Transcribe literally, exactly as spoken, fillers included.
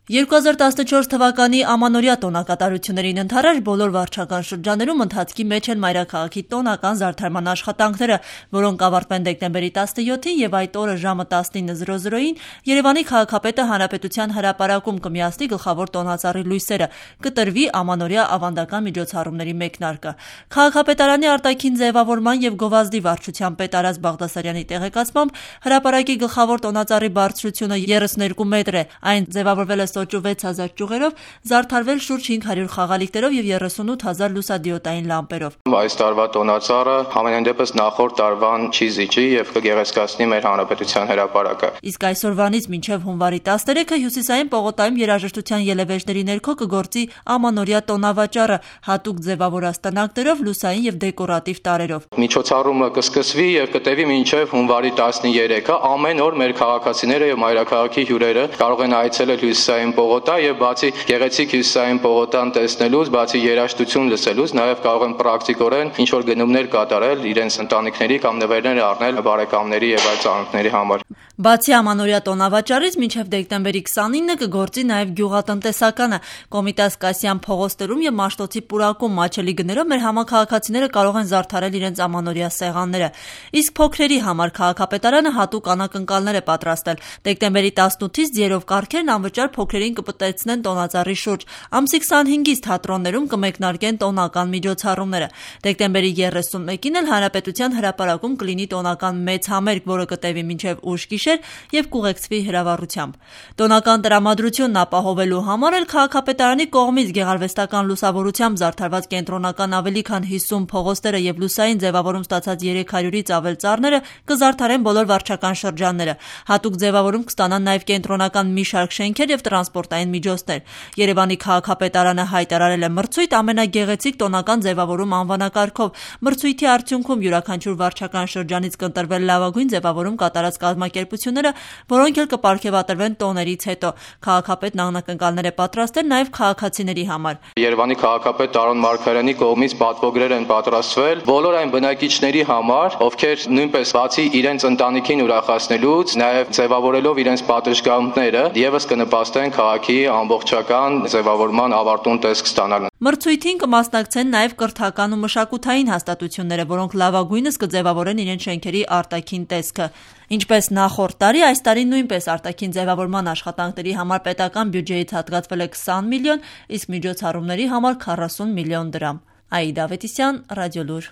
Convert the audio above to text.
երկու հազար տասնչորս թվականի ամանորյա տոնակատարություններին ընդառաջ բոլոր վարչական շրջաններում ընթացքի մեջ են մայրաքաղաքի տոնական զարդարման աշխատանքները, որոնք կավարտվեն դեկտեմբերի տասնյոթին եւ այդ օրը ժամը տասնինը զրո զրոյին Երևանի քաղաքապետը հանրապետության հրապարակում կմիացնի գլխավոր տոնածառի լույսերը, կտրվի ամանորյա ավանդական միջոցառումների մեկնարկը։ Քաղաքապետարանի արտաքին ձևավորման եւ գովազդի վարչության պետ Արազ Բաղդասարյանի տեղեկացմամբ հրապարակի գլխավոր տոնածառի բարձրությունը երեսունհինգ մետր է, այն ձևավորվել է սոճու վեց հազար ճյուղերով, զարդարվել շուրջ հինգ հարյուր խաղալիքներով եւ երեսունութ հազար լուսադիոդային լամպերով։ Այս տարվա տոնածառը համենայն դեպս նախորդ տարվան չի զիջի եւ կգեղեցկացնի մեր հանրապետության հրապարակը։ Իսկ այսօրվանից մինչեւ հունվարի տասներեքը հյուսիսային պողոտայում երաժշտության ելևէջների ներքո կգործի ամանորյա տոնավաճառը, հատուկ ձևավորած տնակներով, լուսային եւ դեկորատիվ տարրերով։ Միջոցառումը կսկսվի եւ կտևի մինչեւ հունվարի տասներեքը։ Ամեն օր մեր քաղաքացիները եւ մայրաքաղաքի հյուրերը կարող են այցելել հյուսիսային պողոտա եւ բացի գեղեցիկ հյուսիսային պողոտան տեսնելուց, բացի երաժշտություն լսելուց, նաեւ կարող են պրակտիկորեն ինչ որ գնումներ կատարել իրենց ընտանիքների կամ նվերներ առնել բարեկամների եւ այլ ծանոթների համար։ Բացի ամանորյա տոնավաճառից մինչև դեկտեմբերի քսանինը կգործի նաև գյուղատնտեսականը։ Կոմիտաս Կասյան փողոցներում եւ Մաշտոցի պուրակում մաչելի գներով մեր համակարգացիները կարող են զարդարել իրենց ամանորյա սեղանները։ Իսկ փոքրերի համար քաղաքապետարանը հատուկ անակնկալներ է պատրաստել։ Դեկտեմբերի տասնութից ձիերով կառքերն անվճար փոքրերին կպտեցնեն տոնածառի շուրջ։ Ամսի քսանհինգից թատրոններում կմեկնարկեն տոնական միջոցառումները։ Դեկտեմբերի երեսունմեկին էլ Հանրապետության հրապարակում կլինի տոնական մեծ համերգ, որը կտևի մինչև ուշ գիշեր եւ կուղեկցվի հրավառությամբ։ Տոնական տրամադրությունն ապահովելու համար էլ քաղաքապետարանի կողմից գեղարվեստական լուսավորությամբ զարդարված կենտրոնական ավելի քան հիսուն փողոցները եւ լուսային ձևավորում ստացած երեք հարյուրից ավել ծառները կզարդարեն բոլոր վարչական շրջանները։ Հատուկ ձևավորում կստանան նաեւ կենտրոնական մի շարք շենքեր եւ տրանսպորտային միջոցներ։ Երևանի քաղաքապետարանը հայտարարել է մրցույթ ամենագեղեցիկ տոնական ձևավորում անվանակարգով։ Մրցույթի արդյունքում յուրաքանչյուր վարչական շրջանից կընտրվել լավագույն ձևավորում կատարած կազմակերպությունները, որոնք էլ կպարգեւատրվեն տոներից հետո։ Քաղաքապետն անակնկալներ է պատրաստել նաեւ քաղաքացիների համար։ Երևանի քաղաքապետ Տարոն Մարգարյանի կողմից պատվոգրեր են պատրաստվել բոլոր այն բնակիչների համար, ովքեր նույնպես բացի իրենց ընտանիքին ուրախացնելուց, նաեւ ձևավորելով իրենց պատշգամբները, եւս կնպաստեն քաղաքի ամբողջական ձևավորման ավարտուն տեսք ստանալ։ Մրցույթին կմասնակցեն նաև կրթական ու մշակութային հաստատությունները, որոնք լավագույնս կձևավորեն իրենց շենքերի արտաքին տեսքը։ Ինչպես նախորդ տարի, այս տարի նույնպես արտաքին ձևավորման աշխատանքների համար պետական բյուջեից հատկացվել է քսան միլիոն, իսկ միջոցառումների համար քառասուն միլիոն դրամ։ Աիդա Ավետիսյան, Ռադիոլուր։